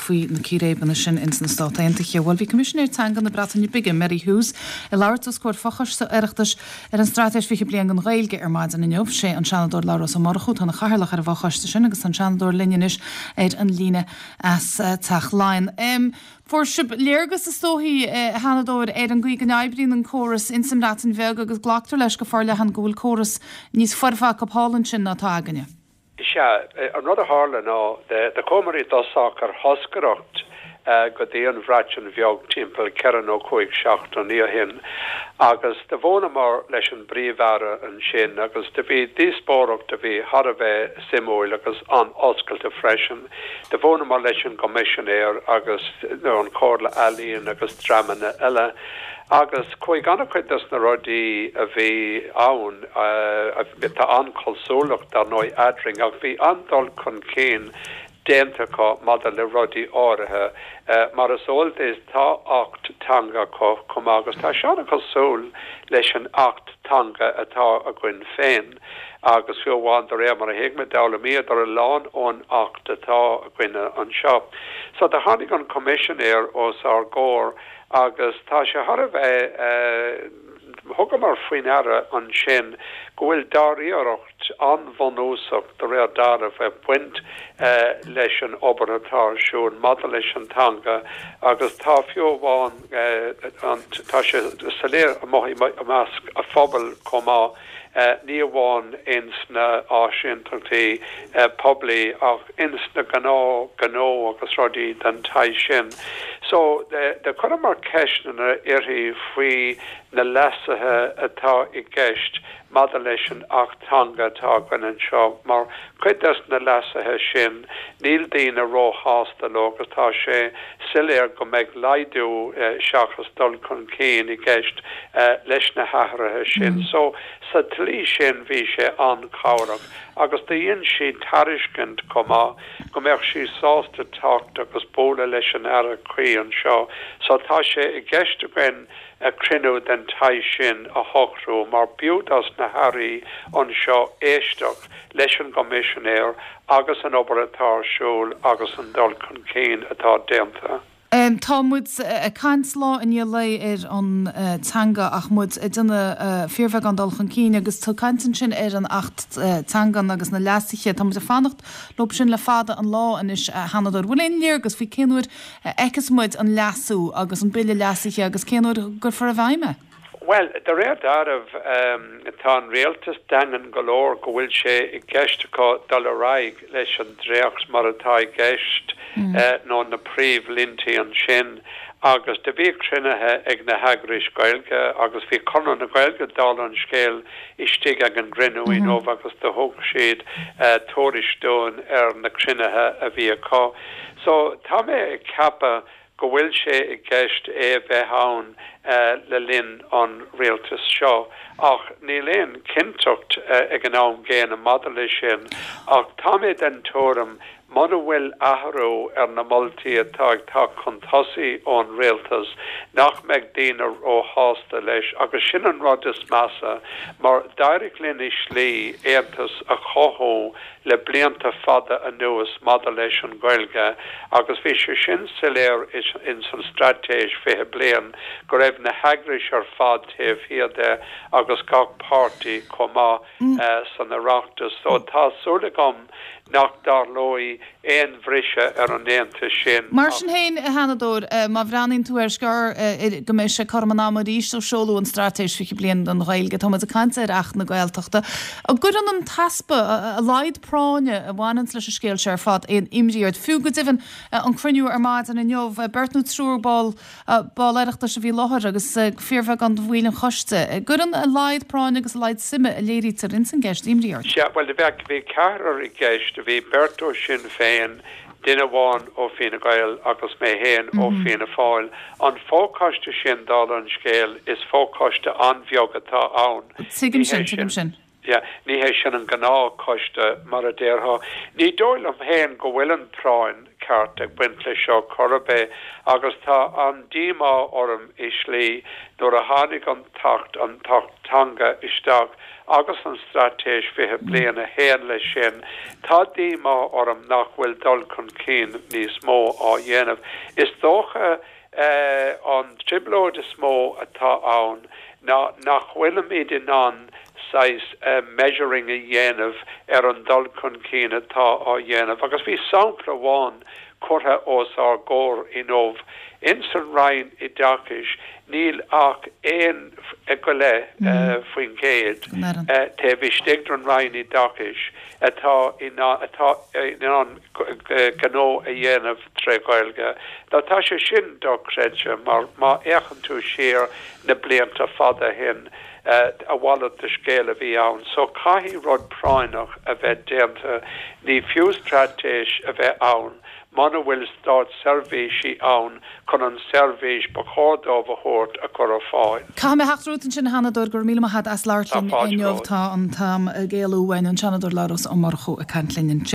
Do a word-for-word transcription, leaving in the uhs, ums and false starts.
faoi na círéibeanna sin ins na Stáit Aontaithe. Bhuel bhí Coimisinéir Teanga na Breataine Bige Meri Huws ag labhairt os comhair fochoiste Oireachtais ar an Straitéis fiche bliain don Ghaeilge ar maidin inniu sé an Seanadóir Labhrás Ó Murchú atá ina chathaoirleach ar an bhfochoiste sin agus an Seanadóir linn anois ar an líne as uh, Teach Laighean. Um, Fuair sibh léargas is dóichí a Sheanadóir ar an gcaoi go n-oibríonn an córas ins an mBreatain Bheag agus glactar leis go forleathan go bhfuil córas níos foirfe acu thall ansin ná atá againne. Sea an rud a tharla ná do chuamar i dtosach ar thoscaireacht go dtí an Bhreatain Bheag timpeall ceithre nó cúig seachtainí ó shin agus do bhuaileamar leis an bPríomh-Aire ansin agus do bhí díospóireacht a bhí thar a bheith suimiúil agus an-oscailte freisin. Do bhuaileamar leis an gcoimisinéir agus nó an Chomhairle Ealaíon agus dreamanna eile. Agus chuaigh an-chuid des na rudaí a bhí ann tá an-chosúlacht ar ndóigh eadrainn ach bhí an-dul chun cinn déanta acu maidir le rudaí áirithe mar is eol duit tá Acht teanga acu chomh maith agus tá sé an-chosúil leis an Acht teanga atá againn féin agus fiú amháin de réir mar a thuig mé d'fhoghlaimíodar a lán ón Acht atá againn anseo. So do tháinig an coimisinéir os ár gcomhair agus tá sé thar a bheith thugamar faoi deara ansin go bhfuil dáiríreacht an-bhunúsach de réir dealraimh ag baint leis an obair atá ar siúl maidir leis an teanga agus tá fiú amháin tá sé soiléir amuigh i measc an phobail chomh maith ní amháin ins na áisíntachtaí poiblí ach ins na gnáth gnó agus rudaí den tsaghas sin. So do chuireamar ceisteanna uirthi faoi na leasuithe atá i gceist maidir leis an Acht teanga atá againn anseo mar cuid des na leasuithe sin níl daoine róshásta leo agus tá sé soiléir go mbeidh laghdú seachas dul chun cinn i gceist leis na hathruithe sin. So sa tslí sin bhí sé an-chabhrach agus dhein sí tairiscint chomh maith go mbeadh sí sásta teacht agus bualadh leis an aire cuí anseo. So tá sé i gceist againn a cruinniú den tsaghas sin a shocrú mar b'fhiú dos na hairí anseo éisteacht leis an gcoimisinéir agus an obair atá ar siúl agus an dul chun cinn atá déanta. Um, tá muid ag caint lá i ndiaidh lae ar an uh, teanga ach muid ag déanamh uh, fíorbheagán dul chun cinn agus tú caint ansin ar an Acht uh, teangan agus na leasuithe Tá muid ag fanacht leo sin le fada an lá anois a Sheanadóir. Bhfuil aon léargas faoi cén uair fheicfeas muid an leasú agus an bille leasaithe agus cén uair a gcuirfear i bhfeidhm é? Well, de réir dealraimh um, tá an rialtas daingean go leor go bhfuil sé i gceist acu dul ar aghaidh leis an dréacht mar atá i gceist mm. uh, nó na príomhlínte ansin agus do bhí cruinnithe ag na heagrais Gaeilge agus bhí Conradh na Gaeilge dála an scéil istigh ag an gcruinniú mm -hmm. agus do thug siad uh, tuairisc dúinn ar na cruinnithe a bhí acu. So tá mé ag ceapadh go bhfuil sé i gceist é bheith ann uh, le linn an rialtas seo ach níl aon chinnteacht uh, ag an am gcéanna maidir leis sin ach tá mé den tuairim muna bhfuil athrú ar na moltaí atá ag teacht chun tosaigh ón rialtas nach mbeidh daoine róshásta leis agus sin an rud is measa mar d'éirigh linn i slí aontas a chothú le blianta fada anuas maidir leis an Ghaeilge agus bhí sé sin soiléir in san straitéis fiche bliain go raibh na heagrais ar fad taobh thiar de agus gach páirtí chomh maith mm. uh, san Oireachtas so tá súil agam nach dtarlóidh aon bhriseadh ar an aontas sin. Mar sin féin a Sheanadóir má bhreathnaíonn tú ar scor go mbeidh sé cothrom an ama arís ó seoladh an straitéis fiche bliain don Ghaeilge tá muid ag caint ar Acht na Gaeltachta. An gcuireann an t-easpa a laghad práinne a bhaineann leis an scéal sé ar fad aon imní ort fiú go deimhin an cruinniú ar maidin inniu beirt nó triúr ball ball Oireachtais a bhí i láthair agus fíorbheagán de bhaill an choiste. Gcuireann a laghad práinne agus a laghad suime a léirítear ins an gceist imní ort. Sea well bheith bhí ceathrar i gceist a bhí beirt ó Sinn Féin duine amháin ó Fine Gael agus mé féin ó mm -hmm. Fianna Fáil. An fochoiste sin dála an scéil is fochoiste an-bheag atá ann. Tuigim sin tuigim sin. Yeah, ní hé sin an gnáthchoiste mar a déarfá. Ní dóigh liom féin go bhfuil an phráinn ceart ag baint leis seo chor ar bith agus tá an díomá orm i slí nuair a tháinig an tAcht an tAcht Teanga isteach agus an straitéis fiche bliain a théann leis sin, tá díomá orm nach bhfuil dul chun cinn níos mó á dhéanamh. Is dócha eh, an trioblóid is mó atá ann ná nach bhfuilimid in ann saghas uh, measuring a dhéanamh ar an dul chun cinn atá á dhéanamh agus bhí sampla amháin curtha os ár gcomhair inniu in san Roinn Oideachais níl ach aon go leith mm. uh, faoin gcéad uh, taobh istigh den Roinn Oideachais atá atá in ann gnó a dhéanamh tré Ghaeilge. Tá tá sé sin dochreidte mar má fhéachann tú siar na blianta fada ó shin a mhalairt de scéal a bhí ann, so caithfidh rud práinneach a bheith déanta ní fiú straitéis a bheith ann, muna bhfuil státseirbhísigh ann chun an seirbhís ba chóir dóibh a thabhairt a chur ar fáil. Caithfidh mé theacht romhat ansin a Sheanadóir go raibh míle maith agat as labhairt linn inniu tá an t-am ag éalú uainn an Seanadóir Labhrás Ó Murchú ag caint linn.